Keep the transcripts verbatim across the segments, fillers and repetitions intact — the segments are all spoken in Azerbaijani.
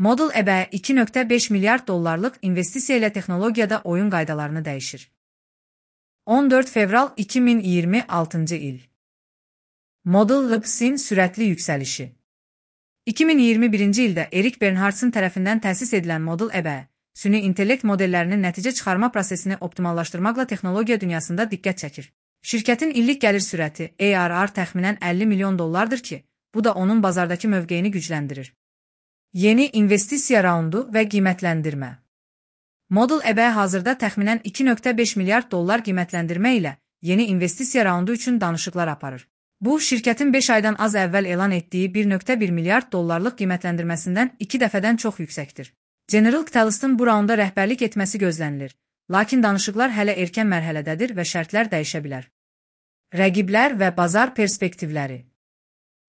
Model E B iki nöqtə beş milyard dollarlıq investisiya ilə texnologiyada oyun qaydalarını dəyişir. on dörd fevral iki min iyirmi altıncı il. Model E B-in sürətli yüksəlişi. iki min iyirmi birinci ildə Erik Bernhardson tərəfindən təsis edilən Model E B, süni intellekt modellərinin nəticə çıxarma prosesini optimallaşdırmaqla texnologiya dünyasında diqqət çəkir. Şirkətin illik gəlir sürəti A R R təxminən əlli milyon dollardır ki, bu da onun bazardakı mövqeyini gücləndirir. Yeni investisiya raundu və qiymətləndirmə. Model E B hazırda təxminən iki nöqtə beş milyard dollar qiymətləndirmə ilə yeni investisiya raundu üçün danışıqlar aparır. Bu, şirkətin beş aydan az əvvəl elan etdiyi bir nöqtə bir milyard dollarlıq qiymətləndirməsindən iki dəfədən çox yüksəkdir. General Catalyst'ın bu raunda rəhbərlik etməsi gözlənilir, lakin danışıqlar hələ erkən mərhələdədir və şərtlər dəyişə bilər. Rəqiblər və bazar perspektivləri.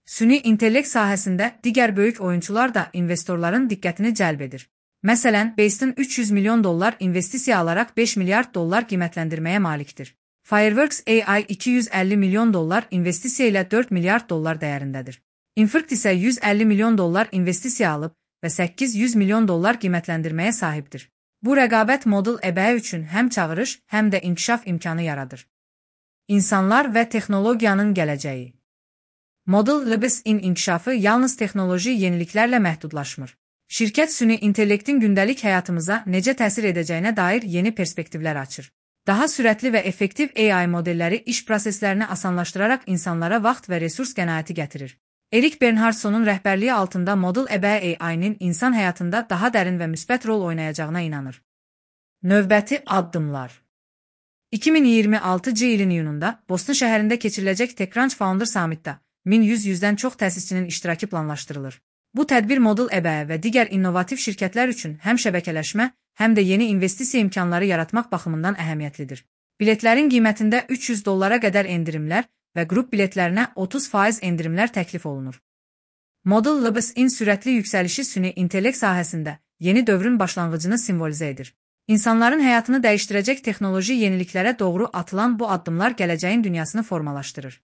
Süni intellekt sahəsində digər böyük oyunçular da investorların diqqətini cəlb edir. Məsələn, Based üç yüz milyon dollar investisiya alaraq beş milyard dollar qiymətləndirməyə malikdir. Fireworks A I iki yüz əlli milyon dollar investisiya ilə dörd milyard dollar dəyərindədir. Infinct isə yüz əlli milyon dollar investisiya alıb və səkkiz yüz milyon dollar qiymətləndirməyə sahibdir. Bu rəqabət Model E B üçün həm çağırış, həm də inkişaf imkanı yaradır. İnsanlar və texnologiyanın gələcəyi. Model E B-in inkişafı yalnız texnoloji yeniliklərlə məhdudlaşmır. Şirkət süni intellektin gündəlik həyatımıza necə təsir edəcəyinə dair yeni perspektivlər açır. Daha sürətli və effektiv A I modelləri iş proseslərini asanlaşdıraraq insanlara vaxt və resurs qənaəti gətirir. Erik Bernhardsonun rəhbərliyi altında Model E B A I-nin insan həyatında daha dərin və müsbət rol oynayacağına inanır. Növbəti addımlar. iki min iyirmi altıncı ilin iyununda Boston şəhərində keçiriləcək TechCrunch Founder Summit'da min yüz yüzdən çox təsisçinin iştirakı planlaşdırılır. Bu tədbir Model E B və digər innovativ şirkətlər üçün həm şəbəkələşmə, həm də yeni investisiya imkanları yaratmaq baxımından əhəmiyyətlidir. Biletlərin qiymətində üç yüz dollara qədər endirimlər və qrup biletlərinə otuz faiz endirimlər təklif olunur. Model E B-in sürətli yüksəlişi süni intellekt sahəsində yeni dövrün başlanğıcını simvolizə edir. İnsanların həyatını dəyişdirəcək texnoloji yeniliklərə doğru atılan bu addımlar gələcəyin dünyasını formalaşdırır.